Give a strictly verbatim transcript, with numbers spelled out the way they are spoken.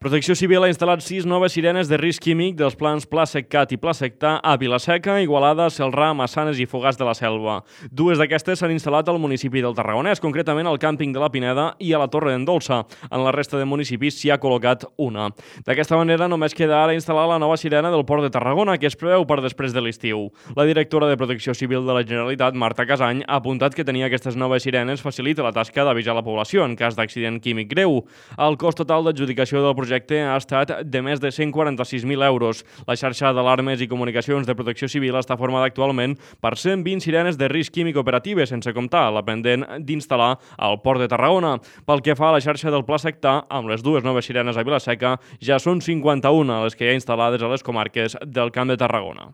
Protecció Civil ha instal·lat sis noves sirenes de risc químic dels plans Pla Seccat i Pla Sectà a Vila-seca, Igualada, Celrà, Massanes i Fogars de la Selva. Dues d'aquestes s'han instal·lat al municipi del Tarragonès, concretament al càmping de la Pineda i a la Torre d'en Dolça. En la resta de municipis s'hi ha col·locat una. D'aquesta manera, només queda ara instal·lar la nova sirena del Port de Tarragona, que es preveu per després de l'estiu. La directora de Protecció Civil de la Generalitat, Marta Casany, ha apuntat que tenir aquestes noves sirenes facilita la tasca d'avisar la població en cas d'accident químic greu. El cost total d'adjudicació del projecte ha estat de més de cent quaranta-sis mil euros. La xarxa d'alarmes i comunicacions de Protecció Civil està formada actualment per cent vint sirenes de risc químic operatives, sense comptar la pendent d'instal·lar al Port de Tarragona. Pel que fa a la xarxa del Pla Sectà, amb les dues noves sirenes a Vila-seca, ja són cinquanta-una les que hi ha instal·lades a les comarques del Camp de Tarragona.